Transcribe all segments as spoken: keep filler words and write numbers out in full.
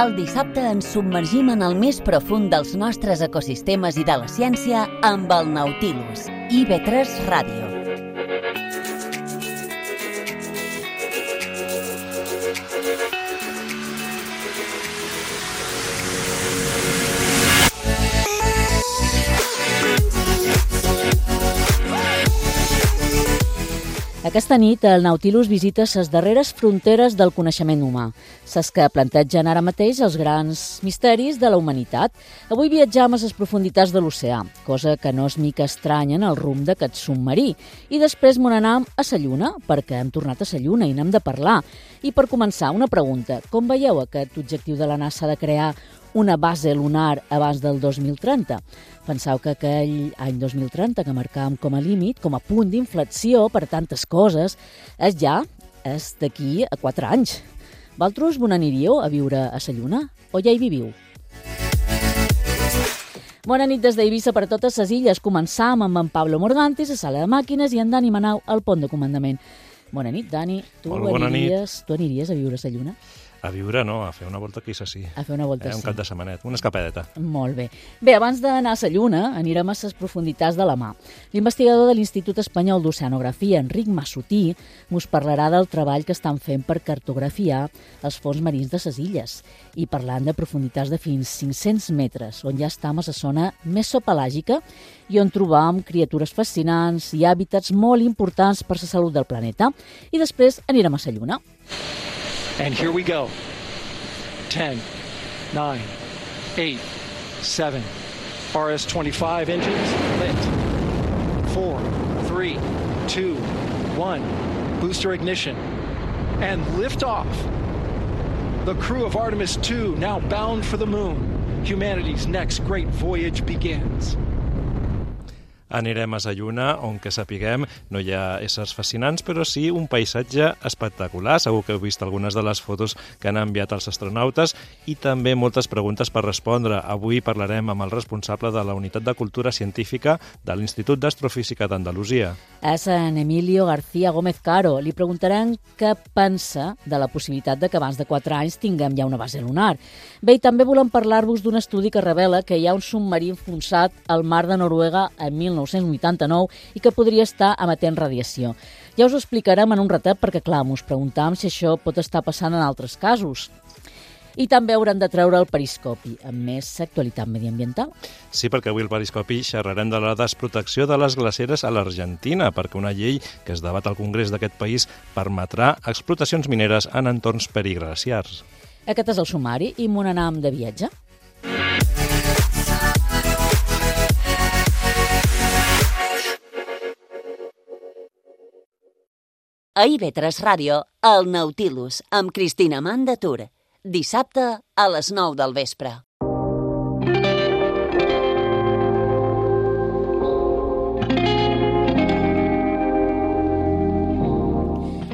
El dissabte ens submergim en el més profund dels nostres ecosistemes i de la ciència amb el Nautilus, I V tres Ràdio. Aquesta nit, el Nautilus visita les darreres fronteres del coneixement humà, les que plantegen ara mateix els grans misteris de la humanitat. Avui viatjam a les profunditats de l'oceà, cosa que no és mica estranya en el rumb d'aquest submarí. I després m'on anam a la Lluna, perquè hem tornat a la Lluna i n'hem de parlar. I per començar, una pregunta. Com veieu aquest objectiu de la NASA de crear una base lunar abans del dos mil trenta? Penseu que aquell any dos mil trenta que marcàvem com a límit, com a punt d'inflexió per tantes coses, és ja, és d'aquí a quatre anys. Vosaltres on aniríeu a viure a la Lluna? O ja hi viviu? Bona nit des d'Eivissa per totes les illes. Començam amb en Pablo Morgantis a sala de màquines i en Dani Manau al pont de comandament. Bona nit, Dani. Tu aniries, tu aniries a viure a la Lluna? A viure, no, a fer una volta aquí, sí. A fer una volta, eh, sí. Un cap de setmanet, una escapadeta. Molt bé. Bé, abans d'anar a la Lluna, anirem a les profunditats de la mar. L'investigador de l'Institut Espanyol d'Oceanografia, Enric Massutí, mos parlarà del treball que estan fent per cartografiar els fons marins de les illes i parlant de profunditats de fins cinc-cents metres, on ja estem a la zona mesopelàgica i on trobam criatures fascinants i hàbitats molt importants per la salut del planeta. I després anirem a la Lluna. And here we go. ten, nine, eight, seven. R S twenty-five engines lit. four, three, two, one. Booster ignition. And liftoff. The crew of Artemis two now bound for the moon. Humanity's next great voyage begins. Anirem a la Lluna, on que sapiguem no hi ha éssers fascinants, però sí un paisatge espectacular. Segur que heu vist algunes de les fotos que han enviat els astronautes i també moltes preguntes per respondre. Avui parlarem amb el responsable de la Unitat de Cultura Científica de l'Institut d'Astrofísica d'Andalusia. És en Emilio García Gómez Caro. Li preguntarem què pensa de la possibilitat de que abans de quatre anys tinguem ja una base lunar. Bé, i també volem parlar-vos d'un estudi que revela que hi ha un submarí enfonsat al mar de Noruega en mil nou-cents vuitanta-nou i que podria estar emetent radiació. Ja us ho explicarem en un ratet perquè, clar, us preguntàvem si això pot estar passant en altres casos. I també haurem de treure el periscopi, amb més actualitat mediambiental. Sí, perquè avui al periscopi xerrarem de la desprotecció de les glaceres a l'Argentina, perquè una llei que es debat al Congrés d'aquest país permetrà explotacions mineres en entorns periglaciars. Aquest és el sumari i m'on anam de viatge. A I V tres Ràdio, el Nautilus, amb Cristina Amanda Tur. Dissabte a les nou del vespre.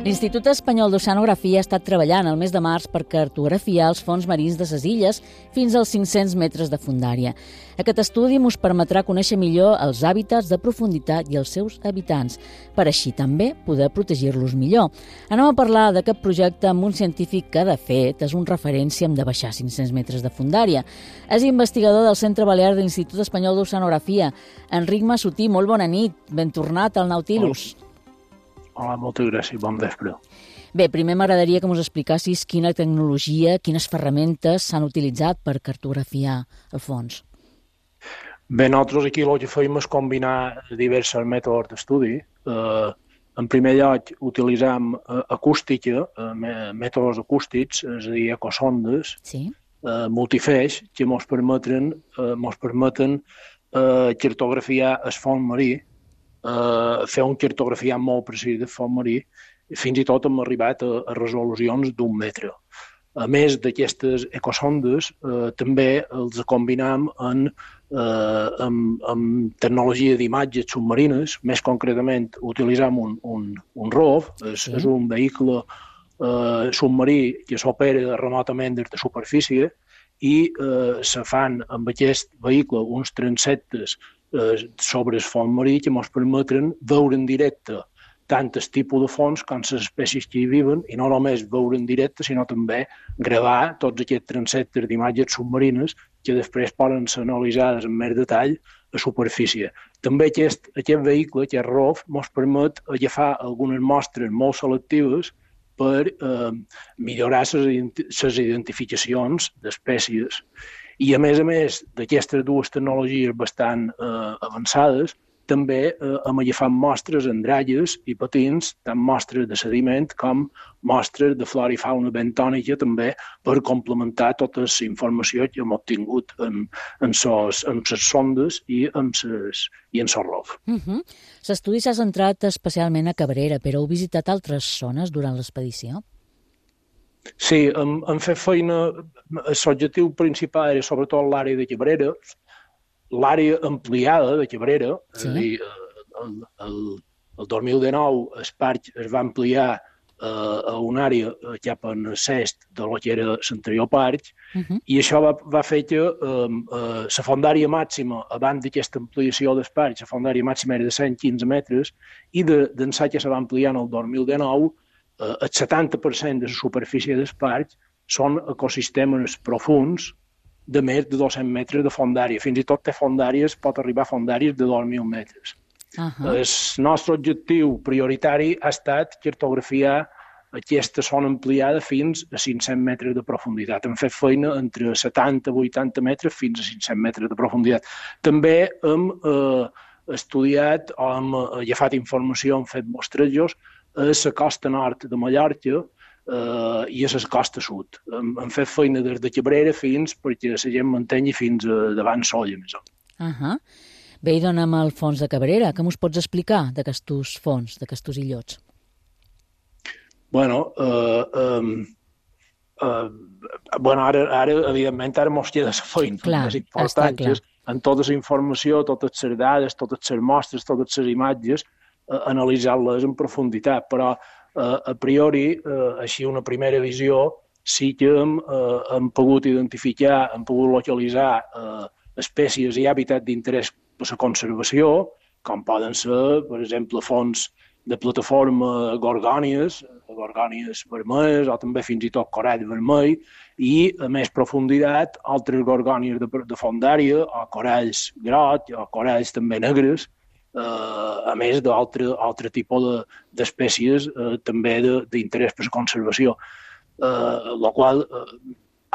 L'Institut Espanyol d'Oceanografia ha estat treballant el mes de març per cartografiar els fons marins de les illes fins als cinc-cents metres de fondària. Aquest estudi ens permetrà conèixer millor els hàbitats de profunditat i els seus habitants, per així també poder protegir-los millor. Anem a parlar d'aquest projecte amb un científic que, de fet, és un referent si hem de baixar cinc-cents metres de fondària. És investigador del Centre Balear de l'Institut Espanyol d'Oceanografia. Enric Massutí, molt bona nit. Ben tornat al Nautilus. Hola, moltes gràcies, bon vespre. Bé, primer m'agradaria que ens explicassis quina tecnologia, quines ferramentes s'han utilitzat per cartografiar el fons. Bé, nosaltres aquí el que fèiem és combinar diversos mètodes d'estudi. Eh, en primer lloc, utilitzem eh, acústica, eh, mètodes acústics, és a dir, ecosondes, sí. eh, multifeix, que ens permeten, eh, ens permeten eh, cartografiar el fons marí, Uh, fer un cartografiat molt precís del fons marí, fins i tot hem arribat a, a resolucions d'un metre. A més d'aquestes ecosondes, uh, també els combinem en, uh, amb, amb tecnologia d'imatges submarines. Més concretament, utilitzem un, un, un R O V, és, és un vehicle uh, submarí que s'opera remotament des de superfície i uh, se fan amb aquest vehicle uns transectes sobre el fons marí que ens permeten veure en directe tant el tipus de fons com les espècies que hi viuen, i no només veure en directe, sinó també gravar tots aquests transectes d'imatges submarines que després poden ser analitzades en més detall a superfície. També aquest, aquest vehicle, aquest R O V, ens permet agafar algunes mostres molt selectives per eh, millorar les identificacions d'espècies. I, a més a més d'aquestes dues tecnologies bastant eh, avançades, també eh, hem agafat mostres en dralles i patins, tant mostres de sediment com mostres de flora i fauna bentònica, també per complementar tota la informació que hem obtingut en, en, ses, en ses sondes i en ses, i en ses R O V. Uh-huh. L'estudi s'ha centrat especialment a Cabrera, però heu visitat altres zones durant l'expedició? Sí, hem, hem fet feina. L'objectiu principal era sobretot l'àrea de Cabrera, l'àrea ampliada de Cabrera, sí. És a dir, el, el, el dos mil dinou el parc es va ampliar eh, a una àrea cap en l'est de lo que era l'anterior parc, uh-huh. I això va, va fer que eh, eh, la fondària màxima, abans d'aquesta ampliació del parc, la fondària màxima era de cent quinze metres, i d'ençà que se va ampliar en el dos mil dinou, eh, el setanta per cent de la superfície del parc són ecosistemes profuns, de més de dos-cents metres de fondària. Fins i tot té fondàries, pot arribar a fondàries de dos mil metres. Uh-huh. El nostre objectiu prioritari ha estat cartografiar aquesta zona ampliada fins a cinc-cents metres de profunditat. Hem fet feina entre setanta a vuitanta metres fins a cinc-cents metres de profunditat. També hem eh, estudiat o hem agafat informació, hem fet mostrejos a la costa nord de Mallorca, Uh, i a la costa sud. Hem, hem fet feina des de Cabrera fins perquè la gent mantengui fins a davant Solla, més o menys. Uh-huh. Bé, i dona'm el fons de Cabrera. Què m'ho pots explicar d'aquestos fons, d'aquestos illots? Bueno, uh, um, uh, bueno ara, ara, evidentment, ara mos queda la feina. Clar, més important, clar. En tota la informació, totes les dades, totes les mostres, totes les imatges, uh, analitzar-les en profunditat, però Uh, a priori, uh, així una primera visió, sí que hem, uh, hem pogut identificar, hem pogut localitzar uh, espècies i hàbitats d'interès per la conservació, com poden ser, per exemple, fons de plataforma gorgònies, gorgònies vermelles o també fins i tot corall vermell, i a més profunditat altres gorgònies de, de fondària o coralls grocs o coralls també negres, Uh, a més d'altre altre tipus de, d'espècies uh, també d'interès per la conservació. Uh, la qual uh,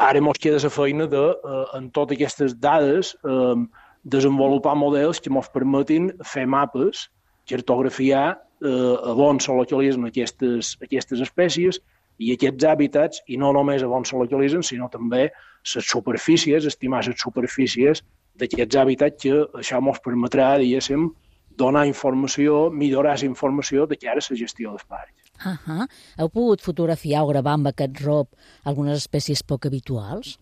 ara ens queda la feina de, uh, en totes aquestes dades, uh, desenvolupar models que ens permetin fer mapes, cartografiar uh, a on se localitzen aquestes, aquestes espècies i aquests hàbitats, i no només a on se localitzen, sinó també les superfícies, estimar les superfícies d'aquests hàbitats, que això ens permetrà, diguéssim, donar informació, millorar la informació de cara a la gestió dels parcs. Uh-huh. Heu pogut fotografiar o gravar amb aquest R O V algunes espècies poc habituals?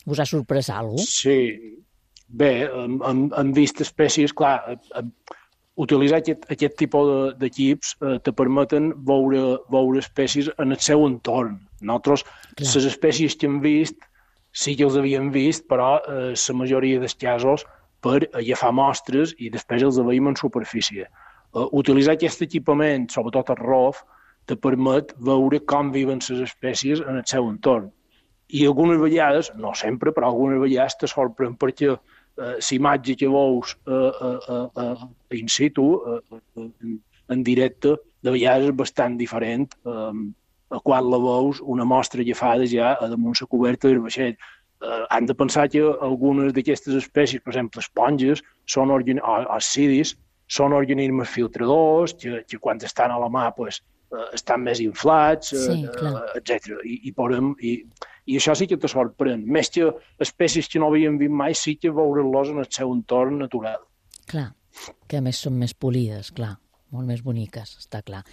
Us ha sorprès alguna cosa? Sí. Bé, hem, hem, hem vist espècies, clar, hem, utilitzar aquest, aquest tipus d'equips eh, te permeten veure, veure espècies en el seu entorn. Nosaltres, clar, les espècies que hem vist, sí que els havíem vist, però eh, la majoria dels casos per agafar mostres i després els veiem en superfície. Uh, utilitzar aquest equipament, sobretot el R O V, te permet veure com viven les espècies en el seu entorn. I algunes vegades, no sempre, però algunes vegades te sorprèn perquè uh, l'imatge que veus uh, uh, uh, in situ, uh, uh, en directe, de vegades és bastant diferent uh, a quan la veus una mostra agafada ja a damunt la coberta del vaixell. Uh, han de pensar que algunes d'aquestes espècies, per exemple, esponges, són organ... o, o cidis, són organismes filtradors, que, que quan estan a la mà pues, uh, estan més inflats, sí, uh, etcètera. I, i, podem, i, I això sí que te sorprèn. Més que espècies que no havíem vist mai, sí que veure-los en el seu entorn natural. Clar, que a més són més polides, clar, molt més boniques, està clar.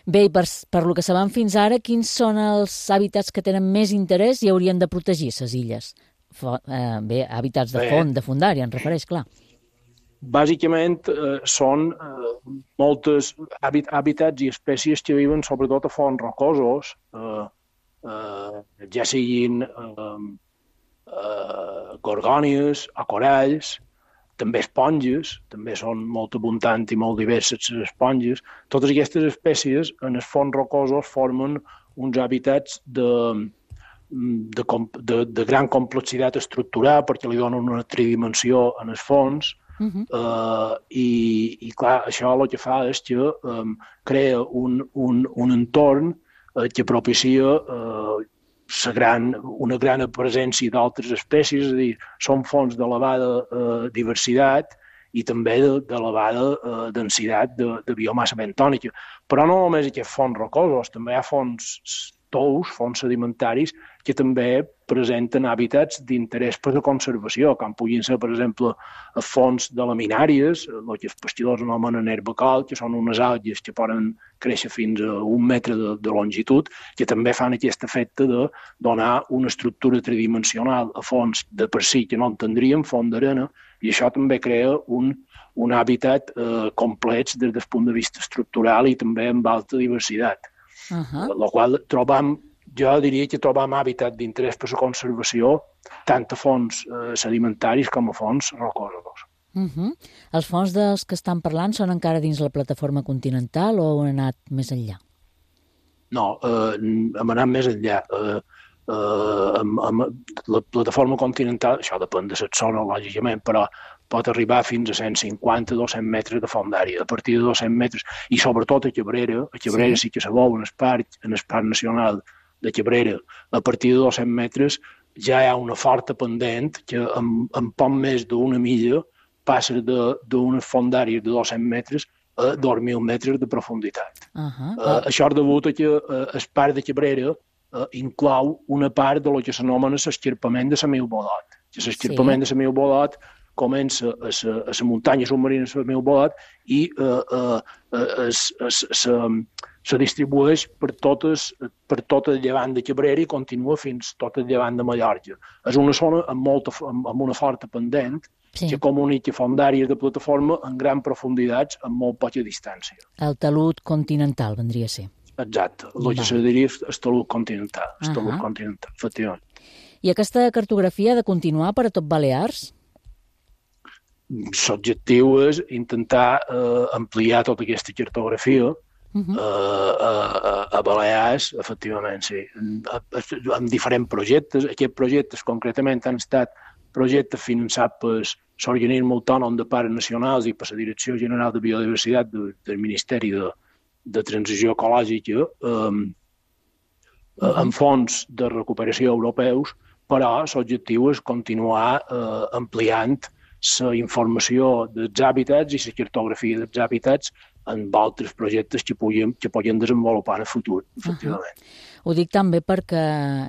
Bé, i per, per lo que sabem fins ara, quins són els hàbitats que tenen més interès i haurien de protegir les illes? Fo, eh, bé, hàbitats de font, de fondària, en refereix, clar. Bàsicament eh, són eh, moltes hàbit, hàbitats i espècies que viuen sobretot a fons rocosos, eh, eh, ja siguin eh, eh, gorgònies o coralls, també esponges, també són molt abundants i molt diverses les esponges. Totes aquestes espècies en els fons rocosos formen uns hàbitats de, de, de, de gran complexitat estructural perquè li donen una tridimensió en els fons. Uh-huh. uh, i, i clar, això el que fa és que um, crea un, un, un entorn uh, que propicia uh, gran, una gran presència d'altres espècies, és a dir, són fonts d'elevada eh, diversitat i també d'elevada eh, densitat de, de biomassa bentònica. Però no només aquests fons rocosos, també hi ha fons tous, fons sedimentaris, que també presenten hàbitats d'interès per la conservació, com puguin ser, per exemple, fons de laminàries, el que els pescadors anomenen herbacal, que són unes algues que poden créixer fins a un metre de, de longitud, que també fan aquest efecte de donar una estructura tridimensional a fons de per si que no en tindríem, font d'arena, i això també crea un, un hàbitat eh, complex des del punt de vista estructural i també amb alta diversitat. Uh-huh. La qual trobam, jo diria que trobam hàbitat d'interès per la conservació tant a fons eh, sedimentaris com a fons rocosos. Uh-huh. Els fons dels que estan parlant són encara dins la plataforma continental o han anat més enllà? No, eh, hem anat més enllà. Eh, eh, amb, amb la plataforma continental, això depèn de la zona, lògicament, però pot arribar fins a cent cinquanta a dos-cents metres de fondària. A partir de dos-cents metres, i sobretot a Cabrera, a Cabrera sí, sí que se veu en el parc, en el parc nacional de Cabrera, a partir de dos-cents metres ja hi ha una forta pendent que en, en poc més d'una milla passa d'unes fondàries de dos-cents metres a dos mil metres de profunditat. Uh-huh. Uh, això és degut a que uh, el parc de Cabrera uh, inclou una part de lo que s'anomena l'esquirpament de Samil Bolot. L'esquirpament sí. de Samil Bolot comença a la muntanya submarina de Samil Bolot i uh, uh, uh, es, es, es, se distribueix per, totes, per tot el llevant de Cabrera i continua fins tot el llevant de Mallorca. És una zona amb, molta, amb, amb una forta pendent sí. que comunica fondàries de plataforma en gran profunditats amb molt poca distància. El talud continental vendria a ser. Exacte, el que se diria el talud continental, el talud uh-huh. continental, efectivament. I aquesta cartografia ha de continuar per a tot Balears? L'objectiu és intentar eh, ampliar tota aquesta cartografia uh-huh. eh, a, a Balears, efectivament, sí, amb diferents projectes. Aquests projectes concretament han estat projectes finançats per l'Organisme Autònom de Parcs Nacionals i per la Direcció General de Biodiversitat de, del Ministeri de, de Transició Ecològica eh, uh-huh. amb fons de recuperació europeus, però l'objectiu és continuar eh, ampliant la informació dels hàbitats i la cartografia dels hàbitats en altres projectes que puguin, que puguin desenvolupar en el futur, efectivament. Uh-huh. Ho dic també perquè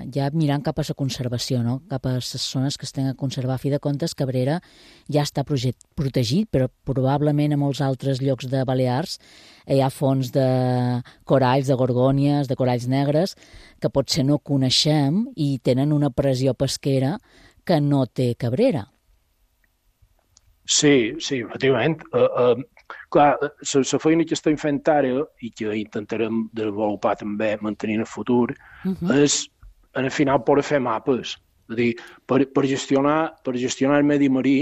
ja mirant cap a la conservació, no? Cap a les zones que es tenen a conservar. A fi de comptes, Cabrera ja està project, protegit, però probablement a molts altres llocs de Balears hi ha fons de coralls, de gorgònies, de coralls negres, que potser no coneixem i tenen una pressió pesquera que no té Cabrera. Sí, sí, efectivament. Uh, uh, clar, la feina que estem fent ara i que intentarem desenvolupar també mantenir en el futur uh-huh. és, en el final, poder fer mapes. És a dir, per, per, gestionar, per gestionar el medi marí,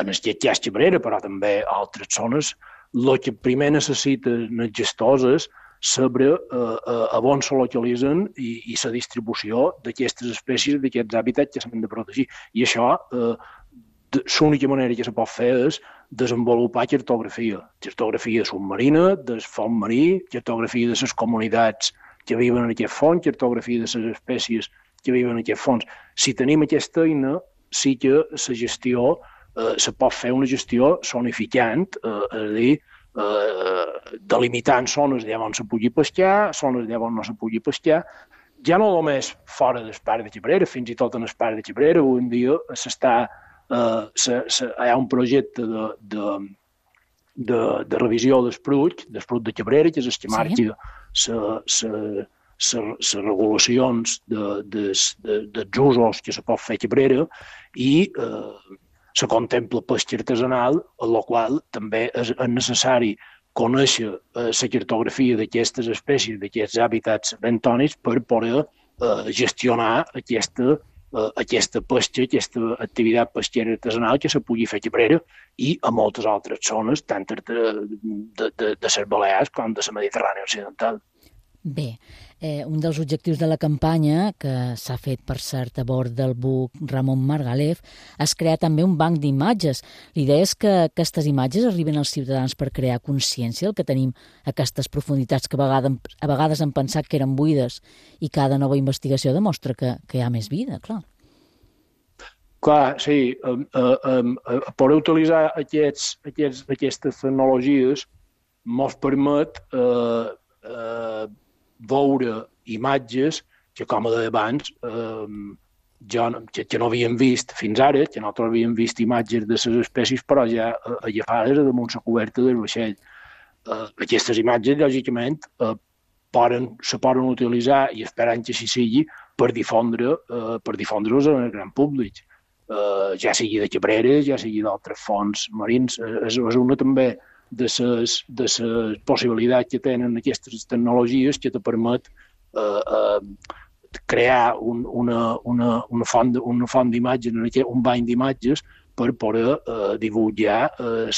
en el que hi ha Cabrera, però també a altres zones, el que primer necessiten els gestors és saber uh, uh, a on se localitzen i, i la distribució d'aquestes espècies, d'aquests hàbitats que s'han de protegir. I això uh, l'única manera que se pot fer és desenvolupar cartografia. Cartografia submarina, del fons marí, cartografia de les comunitats que viuen en aquest fons, cartografia de les espècies que viuen en aquest fons. Si tenim aquesta eina, sí que la gestió, eh, se pot fer una gestió zonificant, eh, és a dir, eh, delimitant zones on se pugui pescar, zones on no se pugui pescar, ja no només fora del parc de Cabrera, fins i tot en el parc de Cabrera, avui en dia s'està Uh, se, se, hi ha un projecte de, de, de, de revisió del Prut, del Prut de Cabrera, que és el que marca les regulacions de, de, de, dels usos que se pot fer a Cabrera i uh, se contempla pesca artesanal, en la qual també és, és necessari conèixer uh, la cartografia d'aquestes espècies, d'aquests hàbitats bentònics per poder uh, gestionar aquesta eh, aquesta pesca, aquesta activitat pesquera artesanal que se pugui fer a Cabrera i a moltes altres zones, tant de, de, de, de les Balears com de la Mediterrània Occidental. Bé, eh, un dels objectius de la campanya, que s'ha fet, per cert, a bord del buc Ramon Margalef, és crear també un banc d'imatges. L'idea és que aquestes imatges arriben als ciutadans per crear consciència del que tenim a aquestes profunditats que a vegades, a vegades hem pensat que eren buides, i cada nova investigació demostra que, que hi ha més vida, clar. Clar, sí, um, uh, um, uh, poder utilitzar aquests, aquests, aquestes tecnologies mos permet eh, eh, veure imatges que, com a d'abans, eh, ja no, que, que no havíem vist fins ara, que nosaltres havíem vist imatges de les espècies, però ja eh, agafades damunt la coberta del vaixell. Eh, aquestes imatges, lògicament, eh, poden, se poden utilitzar, i esperant que així sigui, per difondre, eh, per difondre-los en el gran públic. Eh, ja sigui de Cabrera, ja sigui d'altres fons marins. Eh, és, és una també de les de les possibilitats que tenen aquestes tecnologies que te permet eh, eh, crear un, una, una, una font, una font d'imatges, un banc d'imatges per poder eh, divulgar eh,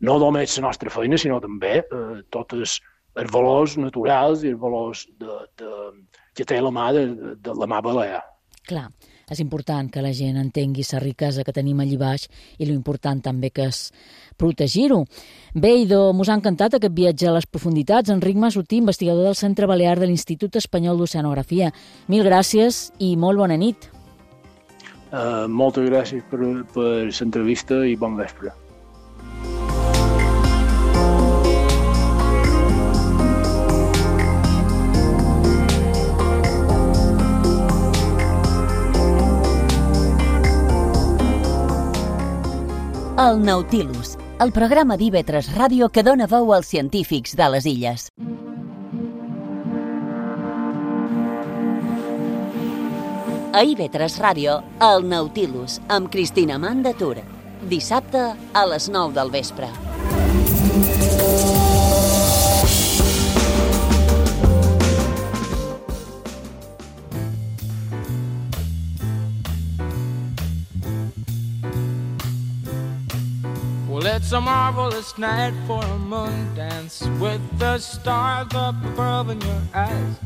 no només la nostra feina, sinó també eh, tots els, els valors naturals i els valors de, de, que té la mà de, de la mà balear. Clar, és important que la gent entengui la riquesa que tenim allí baix i l'important també que és protegir-ho. Bé, idò, mos ha encantat aquest viatge a les profunditats. Enric Masutí, investigador del Centre Balear de l'Institut Espanyol d'Oceanografia. Mil gràcies i molt bona nit. Uh, moltes gràcies per, per l'entrevista i bon vespre. El Nautilus, el programa d'I V tres Ràdio que dona veu als científics de les illes. A I V tres Ràdio, el Nautilus, amb Cristina Mandatur. Dissabte a les nou del vespre. It's a marvelous night for a moon dance with the stars up above in your eyes.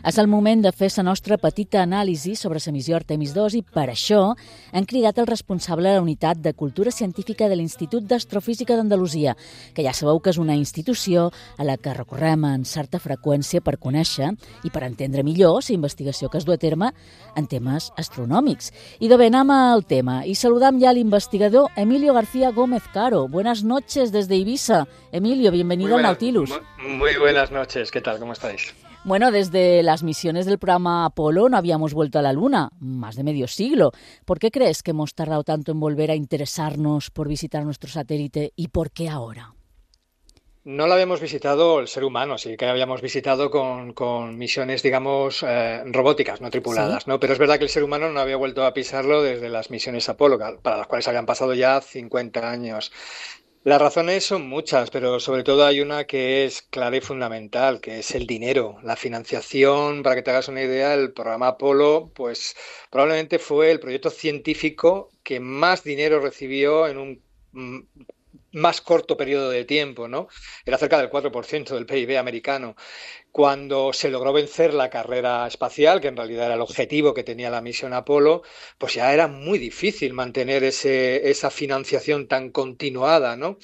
És el moment de fer la nostra petita anàlisi sobre la missió Artemis dos i per això hem cridat el responsable de la Unitat de Cultura Científica de l'Institut d'Astrofísica d'Andalusia, que ja sabeu que és una institució a la que recorrem en certa freqüència per conèixer i per entendre millor la investigació que es du a terme en temes astronòmics. I de bé, anem al tema i saludam ja al investigador Emilio García Gómez Caro. Buenas noches desde Ibiza. Emilio, bienvenido al Nautilus. Muy, muy buenas noches, ¿qué tal? ¿Cómo estáis? Bueno, desde las misiones del programa Apolo no habíamos vuelto a la Luna, más de medio siglo. ¿Por qué crees que hemos tardado tanto en volver a interesarnos por visitar nuestro satélite y por qué ahora? No lo habíamos visitado el ser humano, sí que habíamos visitado con, con misiones, digamos, eh, robóticas, no tripuladas, ¿sí? ¿no? Pero es verdad que el ser humano no había vuelto a pisarlo desde las misiones Apolo, para las cuales habían pasado ya cincuenta años. Las razones son muchas, pero sobre todo hay una que es clara y fundamental, que es el dinero, la financiación. Para que te hagas una idea, el programa Apolo, pues probablemente fue el proyecto científico que más dinero recibió en un mm, más corto periodo de tiempo, ¿no? Era cerca del cuatro por ciento del P I B americano. Cuando se logró vencer la carrera espacial, que en realidad era el objetivo que tenía la misión Apolo, pues ya era muy difícil mantener ese, esa financiación tan continuada, ¿no?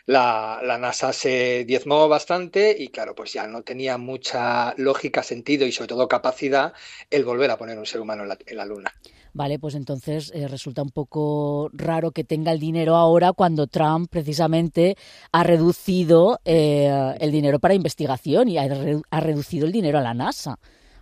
La, la NASA se diezmó bastante y, claro, pues ya no tenía mucha lógica, sentido y, sobre todo, capacidad el volver a poner un ser humano en la, en la Luna. Vale, pues entonces eh, resulta un poco raro que tenga el dinero ahora cuando Trump precisamente ha reducido eh, el dinero para investigación y ha, re, ha reducido el dinero a la NASA.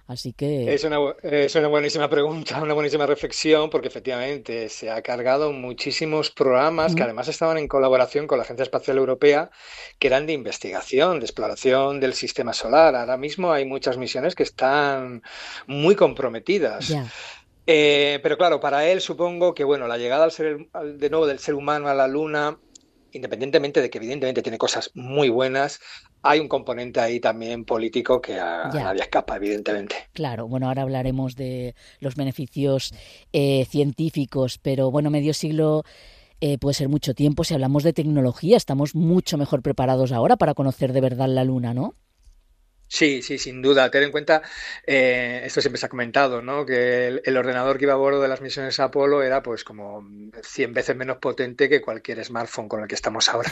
Así que... Es una, es una buenísima pregunta, una buenísima reflexión, porque efectivamente se ha cargado muchísimos programas mm. que además estaban en colaboración con la Agencia Espacial Europea, que eran de investigación, de exploración del sistema solar. Ahora mismo hay muchas misiones que están muy comprometidas. Yeah. Eh, pero claro, para él supongo que bueno, la llegada al ser, al, de nuevo del ser humano a la Luna independientemente de que evidentemente tiene cosas muy buenas, hay un componente ahí también político que a, a nadie escapa, evidentemente. Claro, bueno, ahora hablaremos de los beneficios eh, científicos, pero bueno, medio siglo eh, puede ser mucho tiempo. Si hablamos de tecnología, estamos mucho mejor preparados ahora para conocer de verdad la Luna, ¿no? Sí, sí, sin duda. Ten en cuenta, eh, esto siempre se ha comentado, ¿no? Que el, el ordenador que iba a bordo de las misiones Apolo era pues como cien veces menos potente que cualquier smartphone con el que estamos ahora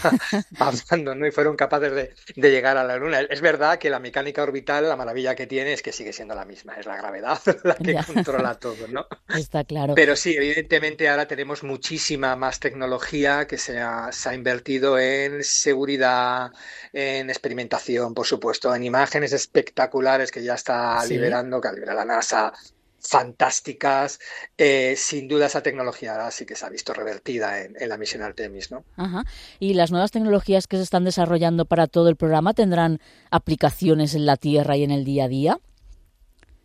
hablando, ¿no? Y fueron capaces de, de llegar a la Luna. Es verdad que la mecánica orbital, la maravilla que tiene es que sigue siendo la misma, es la gravedad la que ya controla todo, ¿no? Está claro. Pero sí, evidentemente ahora tenemos muchísima más tecnología que se ha, se ha invertido en seguridad, en experimentación, por supuesto, en imágenes espectaculares que ya está ¿Sí? liberando, que libera la NASA, fantásticas. Eh, sin duda esa tecnología ahora sí que se ha visto revertida en, en la misión Artemis, ¿no? Ajá. ¿Y las nuevas tecnologías que se están desarrollando para todo el programa tendrán aplicaciones en la Tierra y en el día a día?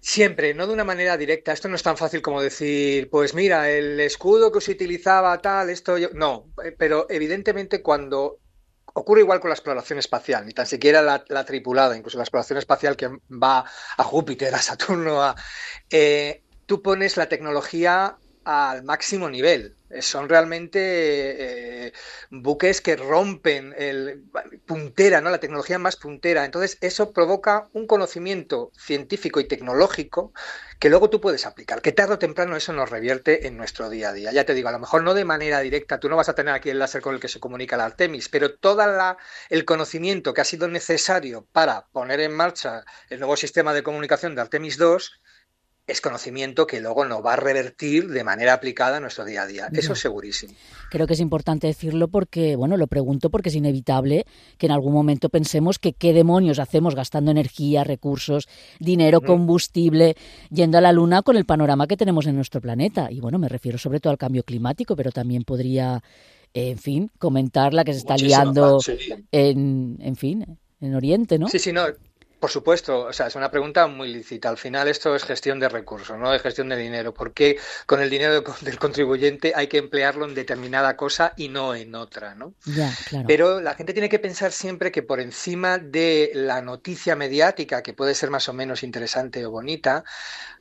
Siempre, no de una manera directa. Esto no es tan fácil como decir, pues mira, el escudo que se utilizaba tal, esto yo... No, pero evidentemente cuando... Ocurre igual con la exploración espacial, ni tan siquiera la, la tripulada, incluso la exploración espacial que va a Júpiter, a Saturno, a, eh, tú pones la tecnología al máximo nivel. Son realmente eh, buques que rompen el puntera, ¿no? La tecnología más puntera. Entonces eso provoca un conocimiento científico y tecnológico que luego tú puedes aplicar, que tarde o temprano eso nos revierte en nuestro día a día. Ya te digo, a lo mejor no de manera directa, tú no vas a tener aquí el láser con el que se comunica la Artemis, pero todo el conocimiento que ha sido necesario para poner en marcha el nuevo sistema de comunicación de Artemis dos es conocimiento que luego nos va a revertir de manera aplicada a nuestro día a día. Eso es segurísimo. Creo que es importante decirlo porque, bueno, lo pregunto porque es inevitable que en algún momento pensemos que qué demonios hacemos gastando energía, recursos, dinero, combustible, yendo a la Luna con el panorama que tenemos en nuestro planeta. Y bueno, me refiero sobre todo al cambio climático, pero también podría, eh, en fin, comentar la que se está Muchísimo, liando sí. en, en fin, en Oriente, ¿no? Sí, sí, no. Por supuesto, o sea, es una pregunta muy lícita. Al final esto es gestión de recursos, no es gestión de dinero. ¿Por qué con el dinero del contribuyente hay que emplearlo en determinada cosa y no en otra, ¿no? Ya, claro. Pero la gente tiene que pensar siempre que por encima de la noticia mediática, que puede ser más o menos interesante o bonita,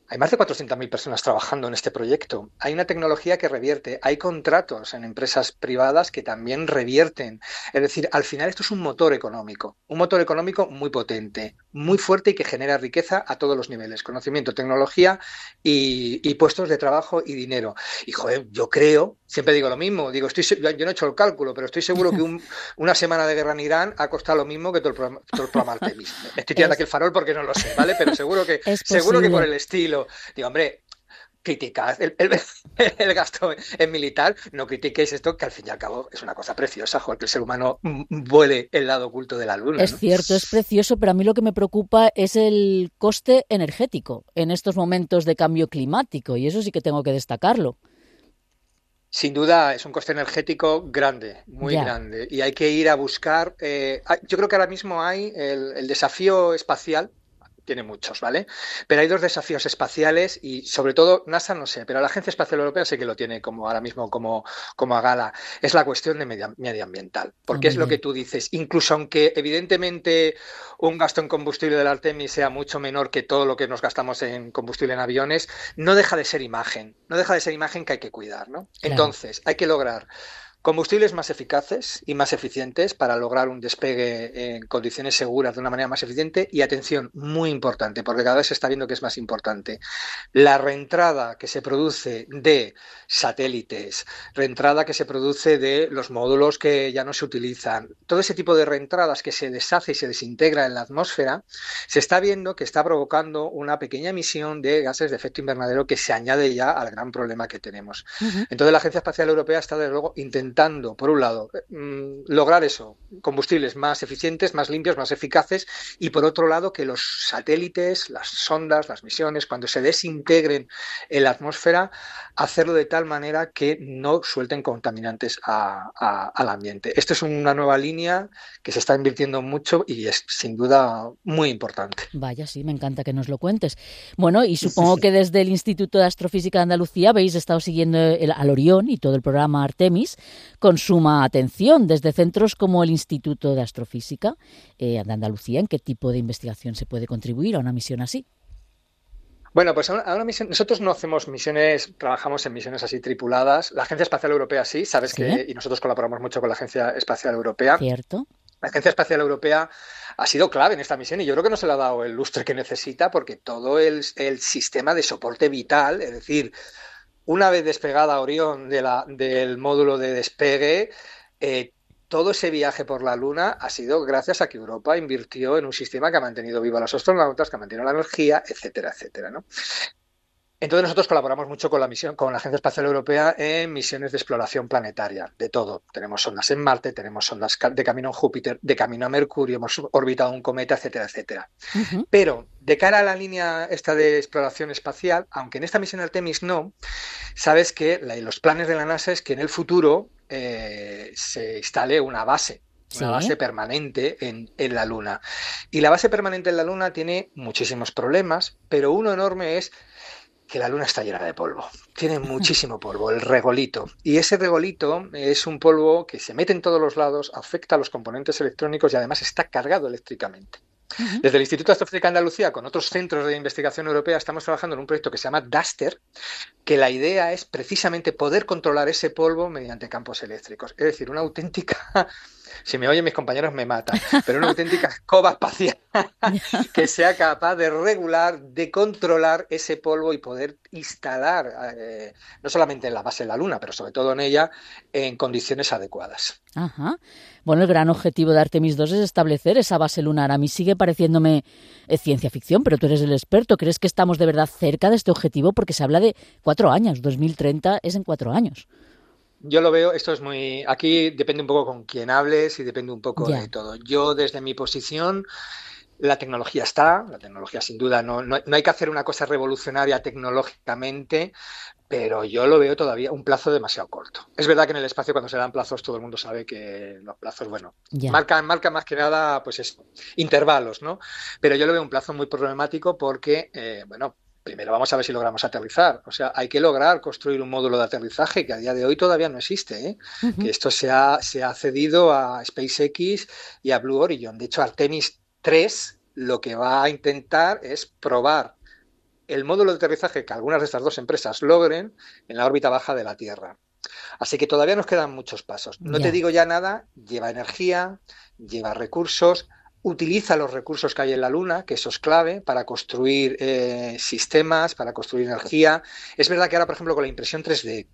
hay más de cuatrocientas mil personas trabajando en este proyecto. Hay una tecnología que revierte. Hay contratos en empresas privadas que también revierten. Es decir, al final esto es un motor económico. Un motor económico muy potente, muy fuerte y que genera riqueza a todos los niveles. Conocimiento, tecnología y, y puestos de trabajo y dinero. Y, joder, yo creo, siempre digo lo mismo. Digo, estoy, yo no he hecho el cálculo, pero estoy seguro que un, una semana de guerra en Irán ha costado lo mismo que todo el programa, todo el programa Artemis. Estoy tirando es, aquí el farol porque no lo sé, ¿vale? Pero seguro que, seguro que por el estilo. Digo, hombre, criticad el, el, el gasto en militar, no critiquéis esto, que al fin y al cabo es una cosa preciosa, joder, que el ser humano vuele el lado oculto de la Luna. Es ¿no? cierto, es precioso, pero a mí lo que me preocupa es el coste energético en estos momentos de cambio climático, y eso sí que tengo que destacarlo. Sin duda es un coste energético grande, muy ya. grande, y hay que ir a buscar, eh, yo creo que ahora mismo hay el, el desafío espacial, tiene muchos, ¿vale? Pero hay dos desafíos espaciales y sobre todo NASA no sé, pero la Agencia Espacial Europea sí que lo tiene como ahora mismo como, como a gala. Es la cuestión de medio, medioambiental, porque oh, es lo que tú dices. Incluso aunque evidentemente un gasto en combustible del Artemis sea mucho menor que todo lo que nos gastamos en combustible en aviones, no deja de ser imagen, no deja de ser imagen que hay que cuidar, ¿no? Claro. Entonces, hay que lograr combustibles más eficaces y más eficientes para lograr un despegue en condiciones seguras de una manera más eficiente y, atención, muy importante, porque cada vez se está viendo que es más importante, la reentrada que se produce de satélites, reentrada que se produce de los módulos que ya no se utilizan, todo ese tipo de reentradas que se deshace y se desintegra en la atmósfera, se está viendo que está provocando una pequeña emisión de gases de efecto invernadero que se añade ya al gran problema que tenemos. Uh-huh. Entonces la Agencia Espacial Europea está, desde luego, intentando Intentando, por un lado, mmm, lograr eso, combustibles más eficientes, más limpios, más eficaces, y por otro lado que los satélites, las sondas, las misiones, cuando se desintegren en la atmósfera, hacerlo de tal manera que no suelten contaminantes a, a, al ambiente. Esta es una nueva línea que se está invirtiendo mucho y es sin duda muy importante. Vaya, sí, me encanta que nos lo cuentes. Bueno, y supongo que desde el Instituto de Astrofísica de Andalucía habéis estado siguiendo el, al Orión y todo el programa Artemis, con suma atención desde centros como el Instituto de Astrofísica eh, de Andalucía. ¿En qué tipo de investigación se puede contribuir a una misión así? Bueno, pues a una, a una misión, nosotros no hacemos misiones, trabajamos en misiones así tripuladas. La Agencia Espacial Europea sí, sabes ¿Sí? que, y nosotros colaboramos mucho con la Agencia Espacial Europea. Cierto. La Agencia Espacial Europea ha sido clave en esta misión y yo creo que no se le ha dado el lustre que necesita porque todo el, el sistema de soporte vital, es decir, una vez despegada Orión de la, del módulo de despegue, eh, todo ese viaje por la Luna ha sido gracias a que Europa invirtió en un sistema que ha mantenido viva a los astronautas, que ha mantenido la energía, etcétera, etcétera, ¿no? Entonces nosotros colaboramos mucho con la misión, con la Agencia Espacial Europea en misiones de exploración planetaria, de todo. Tenemos sondas en Marte, tenemos sondas de camino en Júpiter, de camino a Mercurio, hemos orbitado un cometa, etcétera, etcétera. Uh-huh. Pero de cara a la línea esta de exploración espacial, aunque en esta misión Artemis no, sabes que la, los planes de la NASA es que en el futuro eh, se instale una base. Una ¿Sí? base permanente en, en la Luna. Y la base permanente en la Luna tiene muchísimos problemas, pero uno enorme es que la Luna está llena de polvo. Tiene muchísimo polvo, el regolito. Y ese regolito es un polvo que se mete en todos los lados, afecta a los componentes electrónicos y además está cargado eléctricamente. Uh-huh. Desde el Instituto de Astrofísica de Andalucía, con otros centros de investigación europea, estamos trabajando en un proyecto que se llama DASTER, que la idea es precisamente poder controlar ese polvo mediante campos eléctricos. Es decir, una auténtica... Si me oyen mis compañeros me matan, pero una auténtica escoba espacial que sea capaz de regular, de controlar ese polvo y poder instalar, eh, no solamente en la base de la Luna, pero sobre todo en ella, en condiciones adecuadas. Ajá. Bueno, el gran objetivo de Artemis dos es establecer esa base lunar. A mí sigue pareciéndome eh, ciencia ficción, pero tú eres el experto. ¿Crees que estamos de verdad cerca de este objetivo? Porque se habla de cuatro años, dos mil treinta es en cuatro años. Yo lo veo, esto es muy... Aquí depende un poco con quién hables y depende un poco ya. de todo. Yo, desde mi posición, la tecnología está, la tecnología sin duda, no, no, no hay que hacer una cosa revolucionaria tecnológicamente, pero yo lo veo todavía un plazo demasiado corto. Es verdad que en el espacio, cuando se dan plazos, todo el mundo sabe que los plazos, bueno, ya. marcan, marcan más que nada, pues eso, intervalos, ¿no? Pero yo lo veo un plazo muy problemático porque, eh, bueno... Primero vamos a ver si logramos aterrizar. O sea, hay que lograr construir un módulo de aterrizaje que a día de hoy todavía no existe, ¿eh? Uh-huh. Que esto se ha, se ha cedido a SpaceX y a Blue Origin. De hecho, Artemis tres lo que va a intentar es probar el módulo de aterrizaje que algunas de estas dos empresas logren en la órbita baja de la Tierra. Así que todavía nos quedan muchos pasos. No yeah. te digo ya nada, lleva energía, lleva recursos, utiliza los recursos que hay en la Luna, que eso es clave para construir eh, sistemas, para construir energía. Es verdad que ahora, por ejemplo, con la impresión tres D,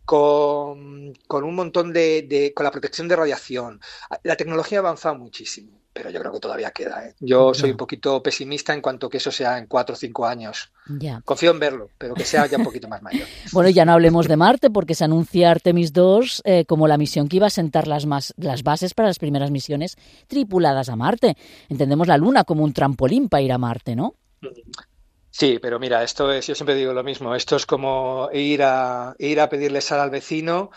con, con un montón de, de... con la protección de radiación, la tecnología ha avanzado muchísimo, pero yo creo que todavía queda, ¿eh? Yo soy un poquito pesimista en cuanto que eso sea en cuatro o cinco años. Ya. Confío en verlo, pero que sea ya un poquito más mayor. Bueno, ya no hablemos de Marte, porque se anuncia Artemis dos eh, como la misión que iba a sentar las, más, las bases para las primeras misiones tripuladas a Marte. Entendemos la Luna como un trampolín para ir a Marte, ¿no? Sí, pero mira, esto es, yo siempre digo lo mismo, esto es como ir a ir a pedirle sal al vecino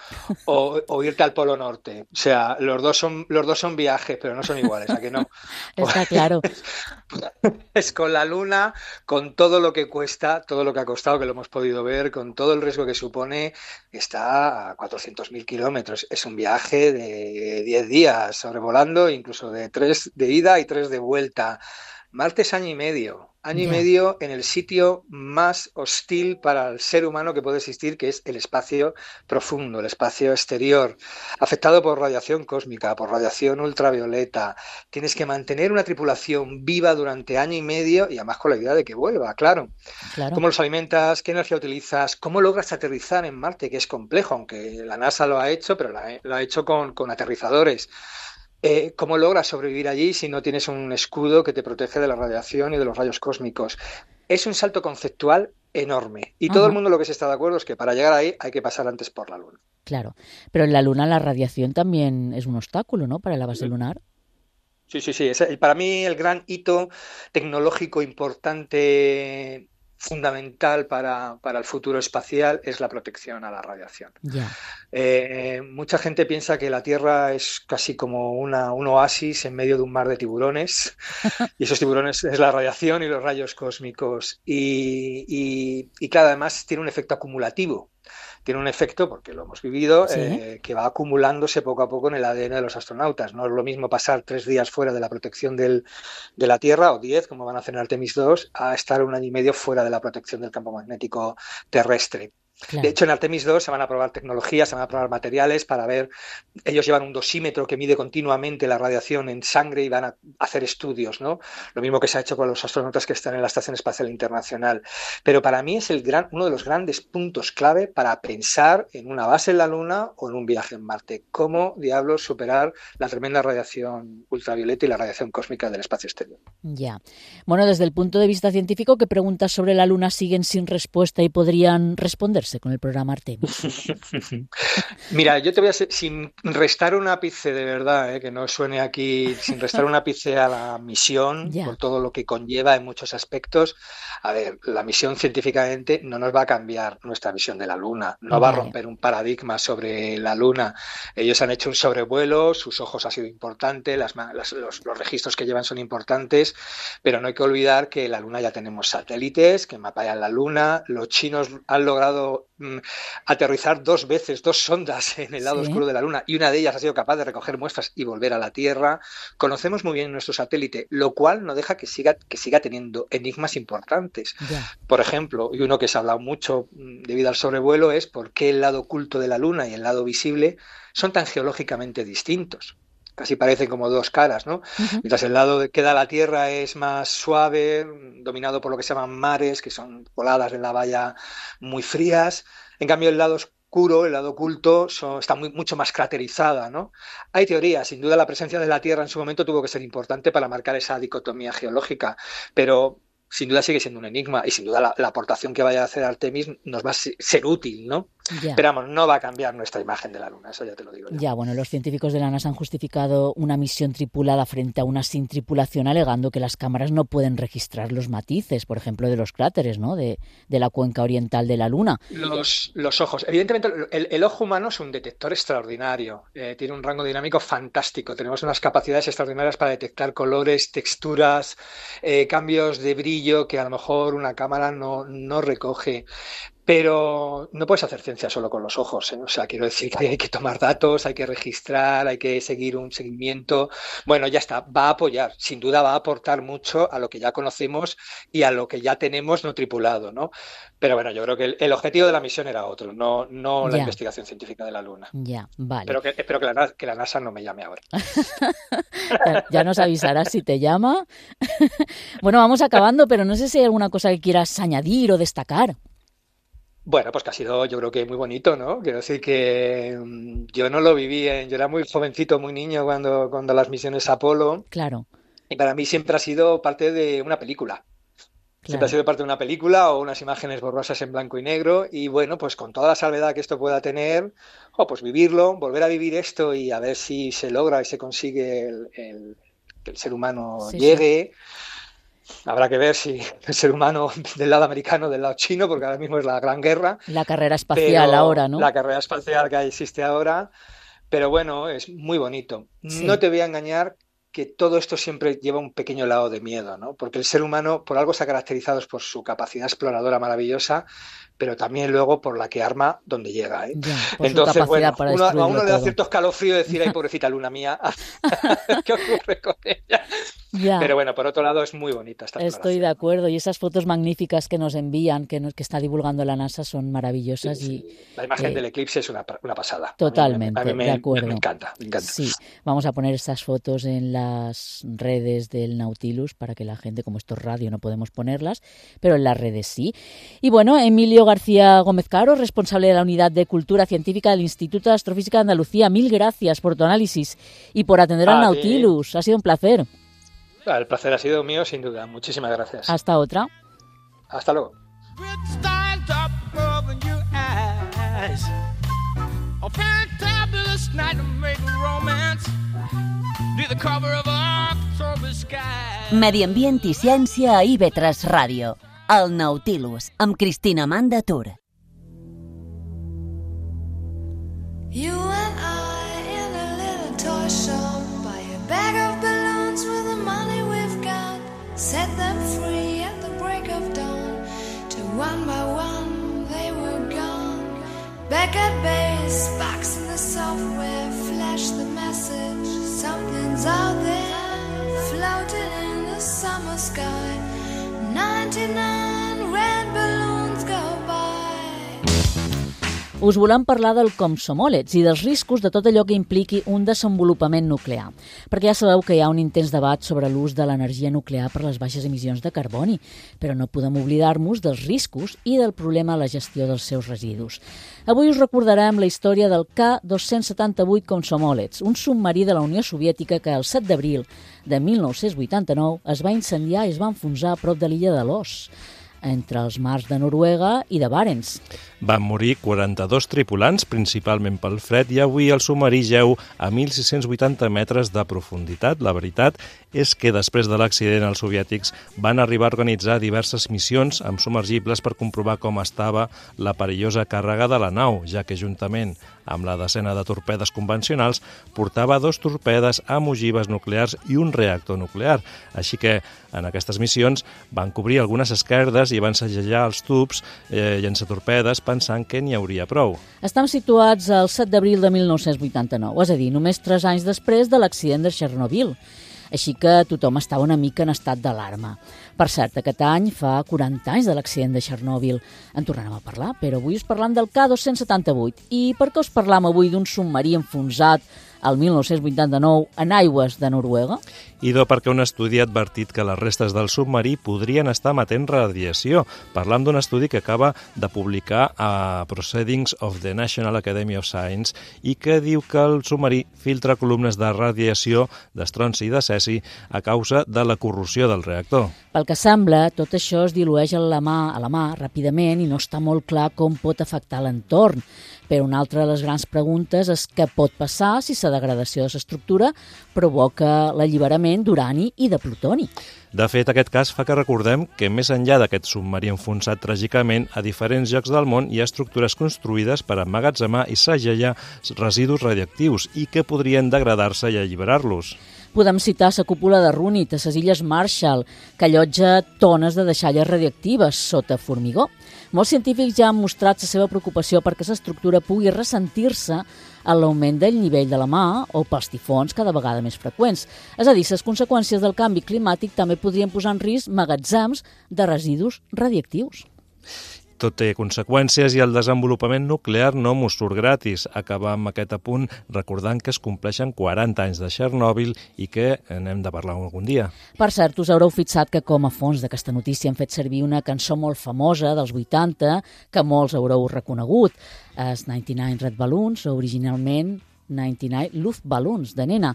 o, o irte al Polo Norte. O sea, los dos son los dos son viajes, pero no son iguales, ¿a que no? Está claro. Es con la Luna, con todo lo que cuesta, todo lo que ha costado, que lo hemos podido ver, con todo el riesgo que supone, está a cuatrocientos mil kilómetros. Es un viaje de diez días sobrevolando, incluso de tres de ida y tres de vuelta. Marte es año y medio, año yeah. y medio en el sitio más hostil para el ser humano que puede existir, que es el espacio profundo, el espacio exterior, afectado por radiación cósmica, por radiación ultravioleta. Tienes que mantener una tripulación viva durante año y medio y además con la idea de que vuelva, claro. claro. ¿Cómo los alimentas? ¿Qué energía utilizas? ¿Cómo logras aterrizar en Marte? Que es complejo, aunque la NASA lo ha hecho, pero lo ha hecho con, con aterrizadores. Eh, ¿Cómo logras sobrevivir allí si no tienes un escudo que te protege de la radiación y de los rayos cósmicos? Es un salto conceptual enorme y todo Ajá. el mundo lo que se está de acuerdo es que para llegar ahí hay que pasar antes por la Luna. Claro, pero en la Luna la radiación también es un obstáculo, ¿no?, para la base sí. lunar. Sí, sí, sí. Es, para mí el gran hito tecnológico importante, fundamental para, para el futuro espacial es la protección a la radiación. Yeah. Eh, mucha gente piensa que la Tierra es casi como una, un oasis en medio de un mar de tiburones y esos tiburones es la radiación y los rayos cósmicos y, y, y claro, además tiene un efecto acumulativo. tiene un efecto, porque lo hemos vivido, Sí. eh, que va acumulándose poco a poco en el A D N de los astronautas. No es lo mismo pasar tres días fuera de la protección del, de la Tierra, o diez, como van a hacer en Artemis dos, a estar un año y medio fuera de la protección del campo magnético terrestre. Claro. De hecho, en Artemis dos se van a probar tecnologías, se van a probar materiales para ver, ellos llevan un dosímetro que mide continuamente la radiación en sangre y van a hacer estudios, ¿no? Lo mismo que se ha hecho con los astronautas que están en la Estación Espacial Internacional. Pero para mí es el gran, uno de los grandes puntos clave para pensar en una base en la Luna o en un viaje en Marte. ¿Cómo diablos superar la tremenda radiación ultravioleta y la radiación cósmica del espacio exterior? Ya. Bueno, desde el punto de vista científico, ¿qué preguntas sobre la Luna siguen sin respuesta y podrían responderse con el programa Artemis? Mira, yo te voy a ser, sin restar un ápice de verdad, eh, que no suene aquí, sin restar un ápice a la misión, Ya. por todo lo que conlleva en muchos aspectos. A ver, la misión científicamente no nos va a cambiar nuestra visión de la Luna, no va a Vale. romper un paradigma sobre la Luna. Ellos han hecho un sobrevuelo, sus ojos ha sido importante, las, ma- las- los, los registros que llevan son importantes, pero no hay que olvidar que la Luna ya tenemos satélites que mapean la Luna. Los chinos han logrado mm, aterrizar dos veces, dos sondas en el lado Sí. oscuro de la Luna, y una de ellas ha sido capaz de recoger muestras y volver a la Tierra. Conocemos muy bien nuestro satélite, lo cual no deja que siga, que siga teniendo enigmas importantes. Ya. Por ejemplo, y uno que se ha hablado mucho mm, debido al sobrevuelo, es por qué el lado oculto de la Luna y el lado visible son tan geológicamente distintos. Casi parecen como dos caras, ¿no? Ujú. Mientras el lado que da la Tierra es más suave, dominado por lo que se llaman mares, que son coladas en la valla muy frías. En cambio, el lado oscuro, el lado oculto, son- está muy, mucho más craterizada, ¿no? Hay teorías, sin duda la presencia de la Tierra en su momento tuvo que ser importante para marcar esa dicotomía geológica, pero sin duda sigue siendo un enigma, y sin duda la, la aportación que vaya a hacer Artemis nos va a se- ser útil, ¿no? Ya. Pero vamos, no va a cambiar nuestra imagen de la Luna, eso ya te lo digo yo. Ya, bueno, los científicos de la NASA han justificado una misión tripulada frente a una sin tripulación, alegando que las cámaras no pueden registrar los matices, por ejemplo, de los cráteres, ¿no? De, de la cuenca oriental de la Luna. Los, los ojos. Evidentemente, el, el ojo humano es un detector extraordinario. Eh, tiene un rango dinámico fantástico. Tenemos unas capacidades extraordinarias para detectar colores, texturas, eh, cambios de brillo que a lo mejor una cámara no, no recoge. Pero no puedes hacer ciencia solo con los ojos, ¿eh? O sea, quiero decir que hay que tomar datos, hay que registrar, hay que seguir un seguimiento. Bueno, ya está, va a apoyar, sin duda va a aportar mucho a lo que ya conocemos y a lo que ya tenemos no tripulado, ¿no? Pero bueno, yo creo que el, el objetivo de la misión era otro, no, no la Ya. investigación científica de la Luna. Ya, vale. Espero que, espero que, la, Na- que la NASA no me llame ahora. Ya, ya nos avisarás si te llama. Bueno, vamos acabando, pero no sé si hay alguna cosa que quieras añadir o destacar. Bueno, pues que ha sido, yo creo que muy bonito, ¿no? Quiero decir que mm, yo no lo viví, en, yo era muy jovencito, muy niño cuando, cuando las misiones Apolo, Claro, y para mí siempre ha sido parte de una película. Siempre claro. ha sido parte de una película o unas imágenes borrosas en blanco y negro, y bueno, pues con toda la salvedad que esto pueda tener, oh, pues vivirlo, volver a vivir esto y a ver si se logra y se consigue el, el- que el ser humano Sí, llegue. Habrá que ver si el ser humano del lado americano o del lado chino, porque ahora mismo es la gran guerra, La carrera espacial pero ahora, ¿no? la carrera espacial que existe ahora, pero bueno, es muy bonito. Sí. No te voy a engañar que todo esto siempre lleva un pequeño lado de miedo, ¿no? Porque el ser humano por algo se ha caracterizado por su capacidad exploradora maravillosa, pero también luego por la que arma donde llega, ¿eh? Ya, por su Entonces, capacidad bueno, para uno- a destruirlo uno le da todo. cierto escalofrío decir, ay, pobrecita luna mía, ¿qué ocurre con ella? Ya. Pero bueno, por otro lado es muy bonita esta Estoy exploración. de acuerdo, y esas fotos magníficas que nos envían, que, nos, que está divulgando la NASA, son maravillosas. Sí, y sí. La imagen eh, del eclipse es una, una pasada. Totalmente, A mí me, a mí me- de acuerdo. me encanta, me encanta. Sí, vamos a poner estas fotos en las redes del Nautilus para que la gente, como esto es radio, no podemos ponerlas, pero en las redes sí. Y bueno, Emilio García Gómez Caro, responsable de la Unidad de Cultura Científica del Instituto de Astrofísica de Andalucía, mil gracias por tu análisis y por atender al A ti. Nautilus. Ha sido un placer. El placer ha sido mío, sin duda. Muchísimas gracias. Hasta otra. Hasta luego. With stars up above in your eyes. A fantabulous night to make romance. Be the cover of October sky. Medi ambient i ciència a I V tres Ràdio. El Nautilus, amb Cristina Amanda Tur. You and I in a little toy shop, buy a bag of balloons with the money we've got, set them free at the break of dawn, till one by one they were gone, record bass box in the software flash the message. Something's out there, floating in the summer sky. ninety-nine red balloons go by. Us volem parlar del Komsomolets i dels riscos de tot allò que impliqui un desenvolupament nuclear, perquè ja sabeu que hi ha un intens debat sobre l'ús de l'energia nuclear per les baixes emissions de carboni, però no podem oblidar-nos dels riscos i del problema a la gestió dels seus residus. Avui us recordarem la història del K dos-cents setanta-vuit Komsomolets, un submarí de la Unió Soviètica que el set d'abril de mil nou-cents vuitanta-nou es va incendiar i es va enfonsar a prop de l'illa de Los, entre els mars de Noruega i de Barents. Van morir quaranta-dos tripulants, principalment pel fred, i avui el submarí jeu a mil sis-cents vuitanta metres de profunditat. La veritat és que després de l'accident els soviètics van arribar a organitzar diverses missions amb submergibles per comprovar com estava la perillosa càrrega de la nau, ja que juntament amb la desena de torpedes convencionals portava dos torpedes amb ogives nuclears i un reactor nuclear. Així que en aquestes missions van cobrir algunes esquerdes i van segellar els tubs eh, llançatorpedes pensant que n'hi hauria prou. Estem situats al set d'abril de mil nou-cents vuitanta-nou, és a dir, només tres anys després de l'accident de Chernobyl. Així que tothom estava una mica en estat d'alarma. Per cert, aquest any fa quaranta anys de l'accident de Chernobyl. En tornarem a parlar, però avui us parlam del K dos-cents setanta-vuit. I per què us parlam avui d'un submarí enfonsat al mil nou-cents vuitanta-nou en aigües de Noruega? Idò perquè un estudi ha advertit que les restes del submarí podrien estar emetent radiació. Parlam d'un estudi que acaba de publicar a Proceedings of the National Academy of Science i que diu que el submarí filtra columnes de radiació d'estronci i de cesi a causa de la corrosió del reactor. Pel que sembla, tot això es dilueix a la mà, a la mà ràpidament i no està molt clar com pot afectar l'entorn. Però una altra de les grans preguntes és què pot passar si la degradació de l'estructura provoca l'alliberament d'urani i de plutoni. De fet, aquest cas fa que recordem que més enllà d'aquest submarí enfonsat tràgicament, a diferents llocs del món hi ha estructures construïdes per emmagatzemar i segellar residus radioactius i que podrien degradar-se i alliberar-los. Podem citar la cúpula de Runit a les Illes Marshall, que allotja tones de deixalles radioactives sota formigó. Molts científics ja han mostrat la seva preocupació perquè l'estructura pugui ressentir-se a l'augment del nivell de la mà o pels tifons cada vegada més freqüents. És a dir, les conseqüències del canvi climàtic també podrien posar en risc magatzems de residus radioactius. Tot té conseqüències i el desenvolupament nuclear no mos surt gratis. Acabar amb aquest apunt recordant que es compleixen quaranta anys de Chernobyl i que n'hem de parlar algun dia. Per cert, us haureu fixat que com a fons d'aquesta notícia hem fet servir una cançó molt famosa dels vuitanta que molts haureu reconegut. És ninety-nine Red Balloons, originalment ninety-nine Luftballons, de nena.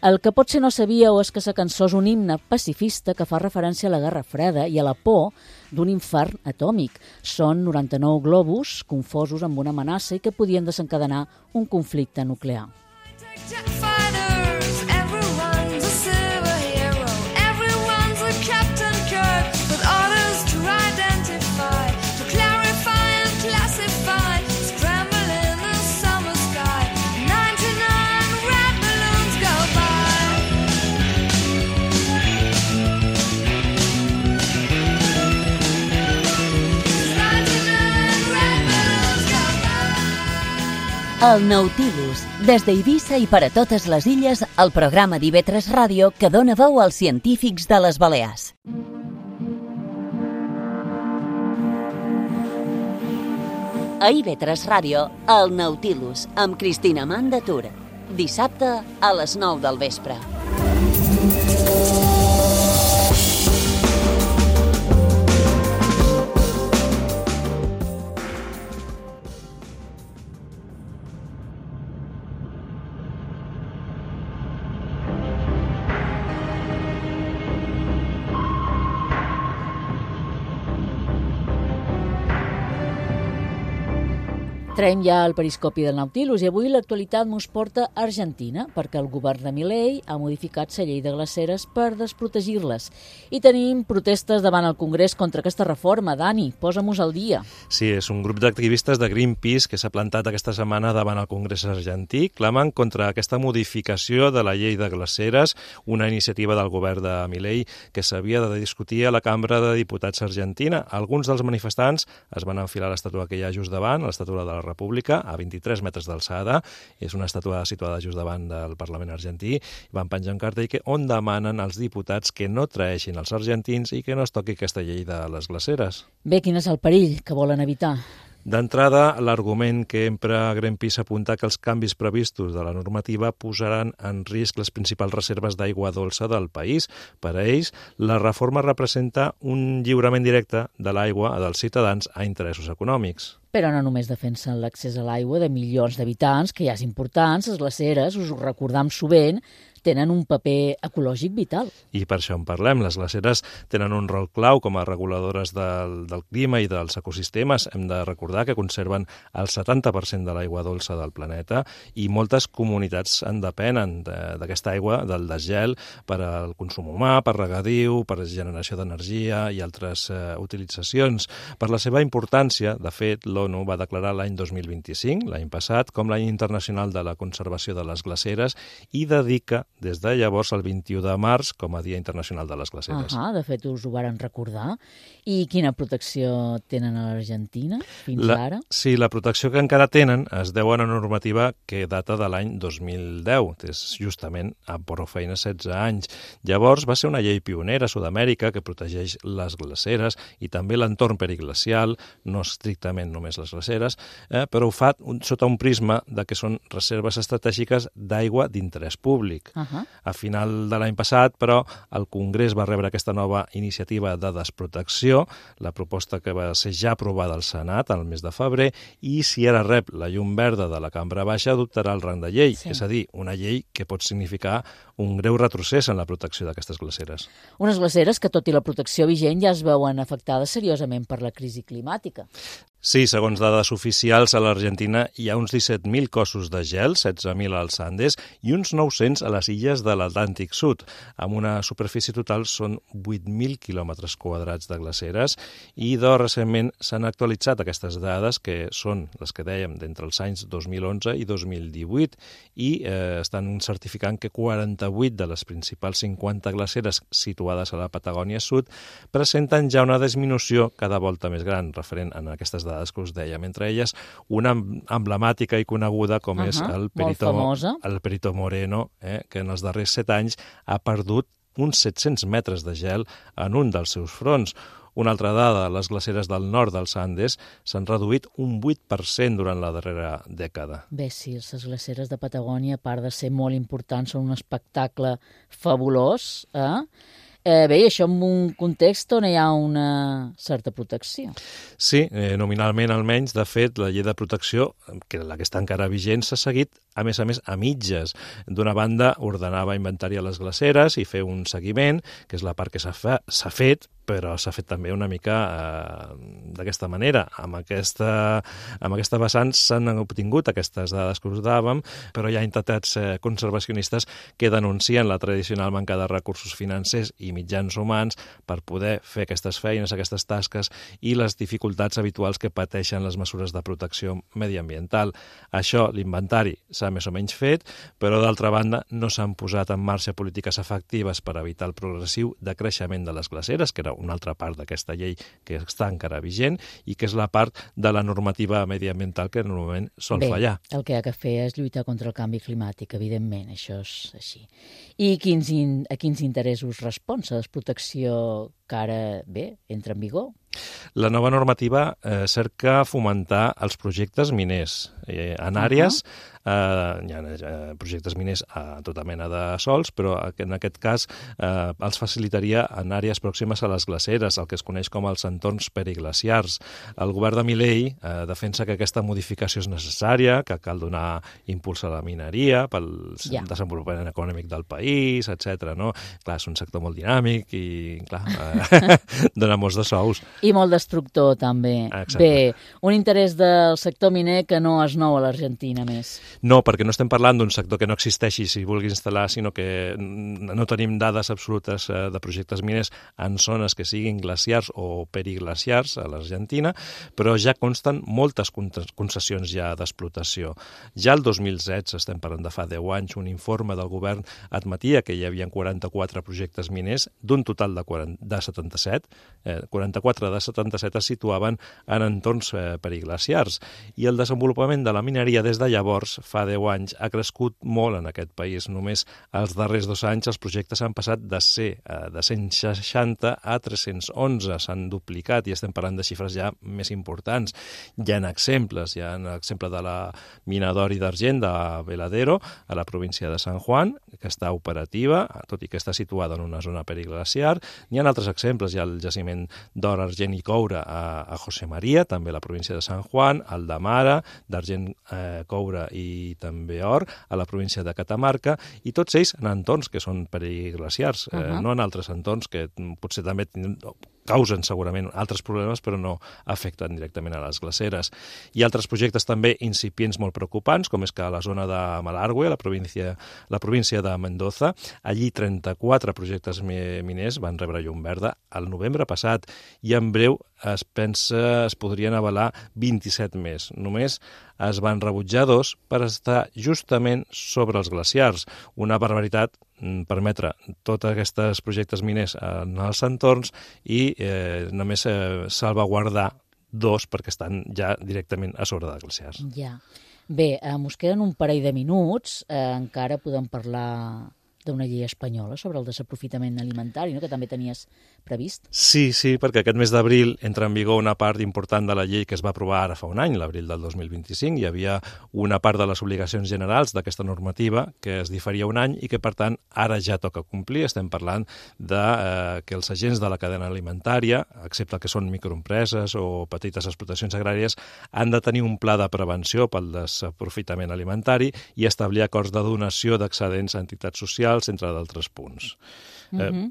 El que potser no sabíeu és que la cançó és un himne pacifista que fa referència a la Guerra Freda i a la por d'un infern atòmic. Són noranta-nou globus confosos amb una amenaça i que podien desencadenar un conflicte nuclear. El Nautilus, des d'Eivissa i per a totes les illes, el programa d'I V tres Ràdio que dona veu als científics de les Balears. A I V tres Ràdio, el Nautilus, amb Cristina Amand de Tura. Dissabte a les nou del vespre. Traiem ja el periscopi del Nautilus i avui l'actualitat mos porta a Argentina perquè el govern de Milei ha modificat la llei de glaceres per desprotegir-les. I tenim protestes davant el Congrés contra aquesta reforma. Dani, posa-mos al dia. Sí, és un grup d'activistes de Greenpeace que s'ha plantat aquesta setmana davant el Congrés argentí, clamen contra aquesta modificació de la llei de glaceres, una iniciativa del govern de Milei que s'havia de discutir a la Cambra de Diputats argentina. Alguns dels manifestants es van enfilar a l'estàtua que hi ha just davant, a l'estàtua de la la República, a vint-i-tres metres d'alçada. És una estàtua situada just davant del Parlament argentí. Van penjar un cartell que, on demanen als diputats que no traeixin els argentins i que no es toqui aquesta llei de les glaceres. Bé, quin és el perill que volen evitar? D'entrada, l'argument que empra Greenpeace apunta que els canvis previstos de la normativa posaran en risc les principals reserves d'aigua dolça del país. Per a ells, la reforma representa un lliurament directe de l'aigua dels ciutadans a interessos econòmics. Però no només defensen l'accés a l'aigua de milions d'habitants, que ja és important, les glaceres, us ho recordam sovint, tenen un paper ecològic vital. I per això en parlem. Les glaceres tenen un rol clau com a reguladores del, del clima i dels ecosistemes. Hem de recordar que conserven el setanta per cent de l'aigua dolça del planeta i moltes comunitats en depenen d'aquesta aigua, del desgel, per al consum humà, per regadiu, per generació d'energia i altres eh, utilitzacions. Per la seva importància, de fet, l'ONU va declarar l'any dos mil vint-i-cinc, l'any passat, com l'any internacional de la conservació de les glaceres i dedica des de llavors el vint-i-u de març com a Dia Internacional de les Glaceres. Ah, de fet, us ho varen recordar. I quina protecció tenen a l'Argentina fins la, ara? Sí, la protecció que encara tenen es deu a una normativa que data de l'any dos mil deu, és justament a prou feina setze anys. Llavors va ser una llei pionera a Sud-amèrica que protegeix les glaceres i també l'entorn periglacial, no estrictament només les glaceres, eh, però ho fa un, sota un prisma de que són reserves estratègiques d'aigua d'interès públic. Uh -huh. A final de l'any passat, però, el Congrés va rebre aquesta nova iniciativa de desprotecció, la proposta que va ser ja aprovada al Senat el mes de febrer, i si ara rep la llum verda de la Cambra Baixa, adoptarà el rang de llei, sí. És a dir, una llei que pot significar un greu retrocés en la protecció d'aquestes glaceres. Unes glaceres que, tot i la protecció vigent, ja es veuen afectades seriosament per la crisi climàtica. Sí, segons dades oficials, a l'Argentina hi ha uns disset mil cossos de gel, setze mil als Andes i uns nou-cents a les illes de l'Atlàntic Sud. Amb una superfície total són vuit mil quilòmetres quadrats de glaceres i de recentment s'han actualitzat aquestes dades, que són les que dèiem d'entre els anys dos mil onze i dos mil divuit, i eh, estan certificant que quaranta-vuit de les principals cinquanta glaceres situades a la Patagònia Sud presenten ja una disminució cada volta més gran, referent a aquestes dades que us dèiem, entre elles una emblemàtica i coneguda com uh-huh, és el Perito, el Perito Moreno, eh, que en els darrers set anys ha perdut uns set-cents metres de gel en un dels seus fronts. Una altra dada, les glaceres del nord dels Andes s'han reduït un vuit per cent durant la darrera dècada. Bé, sí, les glaceres de Patagònia, a part de ser molt importants, són un espectacle fabulós, eh? Eh, bé, i això en un context on hi ha una certa protecció. Sí, eh, nominalment almenys. De fet, la llei de protecció, que la que està encara vigent, s'ha seguit, a més a més, a mitges. D'una banda, ordenava inventariar les glaceres i fer un seguiment, que és la part que s'ha fe, s'ha fet, però s'ha fet també una mica eh, d'aquesta manera. Amb aquesta, amb aquesta vessant s'han obtingut aquestes dades que us dàvem, però hi ha entitats eh, conservacionistes que denuncien la tradicional manca de recursos financers i mitjans humans per poder fer aquestes feines, aquestes tasques, i les dificultats habituals que pateixen les mesures de protecció mediambiental. Això, l'inventari, s'ha més o menys fet, però d'altra banda no s'han posat en marxa polítiques efectives per evitar el progressiu decreixement de les glaceres, que era una altra part d'aquesta llei que està encara vigent i que és la part de la normativa mediambiental que normalment sol Bé, fallar. El que ha de fer és lluitar contra el canvi climàtic, evidentment, això és així. I quins in, a quins interessos respon la desprotecció que ara, bé, entra en vigor? La nova normativa eh, cerca fomentar els projectes miners eh, en àrees, uh-huh. eh, hi ha eh, projectes miners a tota mena de sols, però en aquest cas eh, els facilitaria en àrees pròximes a les glaceres, el que es coneix com els entorns periglaciars. El govern de Milei eh, defensa que aquesta modificació és necessària, que cal donar impuls a la mineria pel yeah. desenvolupament econòmic del país, etcètera. No? Clar, és un sector molt dinàmic i, clar, eh, dona molts de sous. I molt destructor, també. Exacte. Bé, un interès del sector miner que no és nou a l'Argentina, més. No, perquè no estem parlant d'un sector que no existeixi si vulgui instal·lar, sinó que no tenim dades absolutes de projectes miners en zones que siguin glaciars o periglaciars a l'Argentina, però ja consten moltes concessions ja d'explotació. Ja el dos mil setze, estem parlant de fa deu anys, un informe del govern admetia que hi havia quaranta-quatre projectes miners d'un total de, quaranta, de setanta-set, eh, quaranta-quatre de setanta-set es situaven en entorns eh, periglaciars, i el desenvolupament de la mineria des de llavors, fa deu anys, ha crescut molt en aquest país. Només els darrers dos anys els projectes han passat de ser eh, de cent seixanta a tres-cents onze, s'han duplicat i estem parlant de xifres ja més importants. Hi ha exemples, hi ha l'exemple de la mina d'or i d'argent de Veladero, a la província de San Juan, que està operativa, tot i que està situada en una zona periglaciar. N'hi ha altres exemples, hi ha el jaciment d'or, argent i coure a, a José María, també a la província de San Juan, el de Mara, d'argent, eh, coure i també or, a la província de Catamarca, i tots ells en entorns que són periglaciars, uh -huh. eh, no en altres entorns que potser també causen segurament altres problemes, però no afecten directament a les glaceres. Hi ha altres projectes també incipients molt preocupants, com és que a la zona de Malargüe, la província, la província de Mendoza, allí trenta-quatre projectes miners van rebre llum verda al novembre passat, i en breu es pensa es podrien avalar vint-i-set més. Només es van rebutjar dos per estar justament sobre els glaciars. Una barbaritat permetre tots aquests projectes miners en els entorns i eh, només eh, salvaguardar dos perquè estan ja directament a sobre de glaciars. Ja. Bé, eh, mos queden un parell de minuts, eh, encara podem parlar d'una llei espanyola sobre el desaprofitament alimentari, no?, que també tenies previst. Sí, sí, perquè aquest mes d'abril entra en vigor una part important de la llei que es va aprovar ara fa un any, l'abril del dos mil vint-i-cinc. Hi havia una part de les obligacions generals d'aquesta normativa que es diferia un any i que, per tant, ara ja toca complir. Estem parlant de eh, que els agents de la cadena alimentària, excepte que són microempreses o petites explotacions agràries, han de tenir un pla de prevenció pel desaprofitament alimentari i establir acords de donació d'excedents a entitats socials, entre d'altres punts. Mm-hmm. Eh...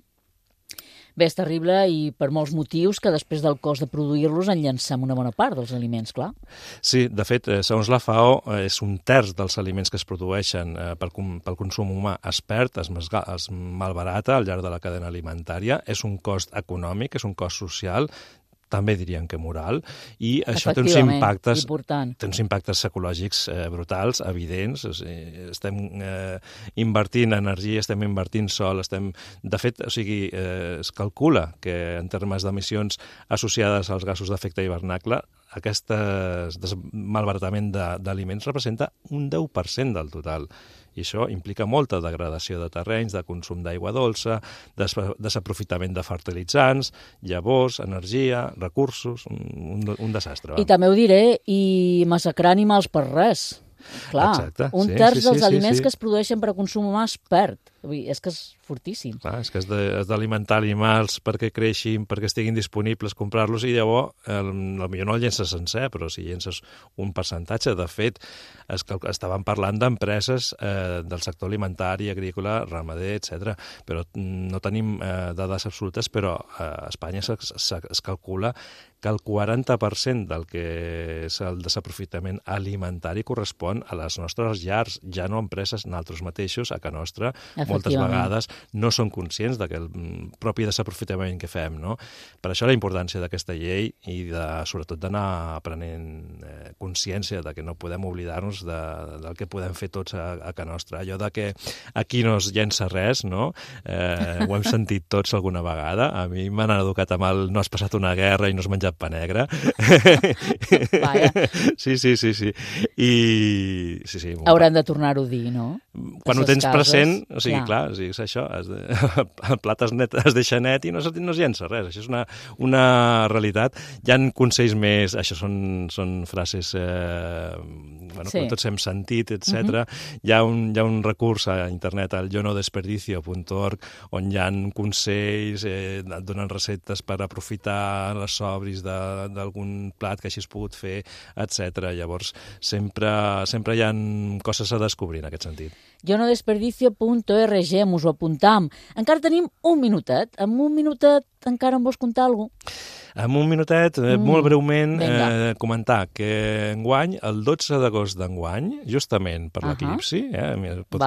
Bé, és terrible i per molts motius que després del cost de produir-los en llancem una bona part dels aliments, clar. Sí, de fet, segons la F A O, és un terç dels aliments que es produeixen eh, pel, pel consum humà es perd, es, es malbarata al llarg de la cadena alimentària. És un cost econòmic, és un cost social, també dirien que moral, i això té uns impactes, té uns impactes psicològics eh, brutals, evidents. O sigui, estem eh, invertint energia, estem invertint sol, estem... De fet, o sigui, eh, es calcula que en termes d'emissions associades als gasos d'efecte hivernacle, aquest malbaratament d'aliments representa un deu per cent del total. I això implica molta degradació de terrenys, de consum d'aigua dolça, des desaprofitament de fertilitzants, llavors, energia, recursos, un, un desastre. Va. I també ho diré, i massacrar animals per res. Clar, Exacte, un sí, terç sí, dels sí, aliments sí, sí. que es produeixen per a consum humà es perd. És que és fortíssim. Clar, és que has d'alimentar animals perquè creixin, perquè estiguin disponibles, comprar-los, i llavors, eh, potser no el llences sencer, però si llences un percentatge. De fet, es, estàvem parlant d'empreses eh, del sector alimentari, agrícola, ramader, etcètera. Però no tenim eh, dades absolutes, però a Espanya es, es, es calcula que el quaranta per cent del que és el desaprofitament alimentari correspon a les nostres llars, ja no a empreses, nosaltres mateixos, a casa nostra, moltes vegades no són conscients d'aquell propi desaprofitament que fem, no? Per això la importància d'aquesta llei i de, sobretot d'anar aprenent eh, consciència de que no podem oblidar-nos de, del que podem fer tots a, a casa nostra. Allò de que aquí no es llença res, no? Eh, ho hem sentit tots alguna vegada. A mi m'han educat amb el no has passat una guerra i no has menjat pa negre. Vaja. Sí, sí, sí, sí. I... Sí, sí, hauran de tornar-ho a dir, no? Quan ho tens cases, present, o sigui, clar, clar o sigui, és això, es de, el plat es, net, es deixa net i no es, no es llença res, això és una, una realitat. Hi ha consells més, això són, són frases eh, bueno, sí. que tots hem sentit, etcètera. Uh-huh. Hi, ha un, hi ha un recurs a internet, al yo no desperdicio punt org, on hi ha consells, eh, et donen receptes per aprofitar les sobris d'algun plat que hagis pogut fer, etcètera. Llavors, sempre, sempre hi ha coses a descobrir en aquest sentit. yo no desperdicio punt org, us ho apuntam. Encara tenim un minutet. En un minutet encara em vols contar alguna cosa? En un minutet, eh, mm. molt breument, eh, comentar que enguany, el dotze d'agost d'enguany, justament per uh -huh. l'eclipsi, eh, pot...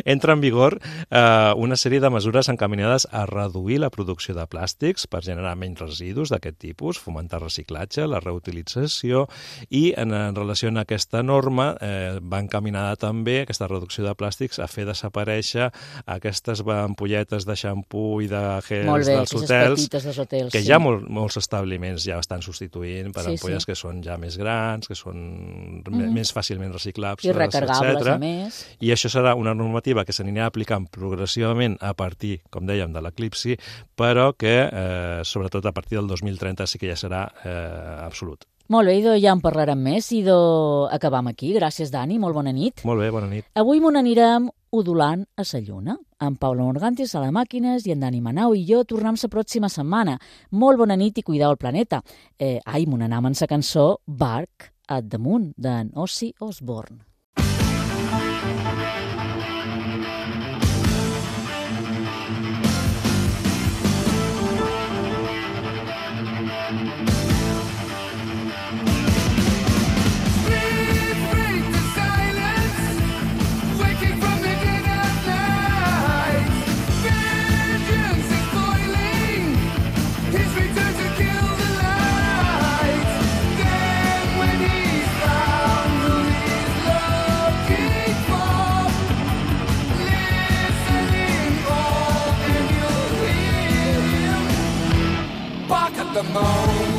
entra en vigor eh, una sèrie de mesures encaminades a reduir la producció de plàstics per generar menys residus d'aquest tipus, fomentar reciclatge, la reutilització, i en, en relació a aquesta norma eh, va encaminada també aquesta reducció de plàstics a fer desaparèixer aquestes ampolletes de xampú i de gel Molt bé, dels aquestes hotels, petites dels hotels, que sí. ja molt, molts establiments ja estan substituint per Sí, ampolles sí. que són ja més grans, que són Mhm. més fàcilment reciclables, I recargables, etcètera. a més. I això serà una normativa que s'anirà aplicant progressivament a partir, com dèiem, de l'eclipsi, però que, eh, sobretot a partir del dos mil trenta, sí que ja serà eh, absolut. Molt bé, idò, ja en parlarem més. Idò, acabam aquí. Gràcies, Dani. Molt bona nit. Molt bé, bona nit. Avui m'ho n'anirem udolant a sa lluna. En Paula Morgantis a les màquines i en Dani Manau i jo tornem la pròxima setmana. Molt bona nit i cuideu el planeta. Eh, ai, m'ho n'anam amb la cançó Bark at the Moon, d'en Ozzy Osbourne. The moon.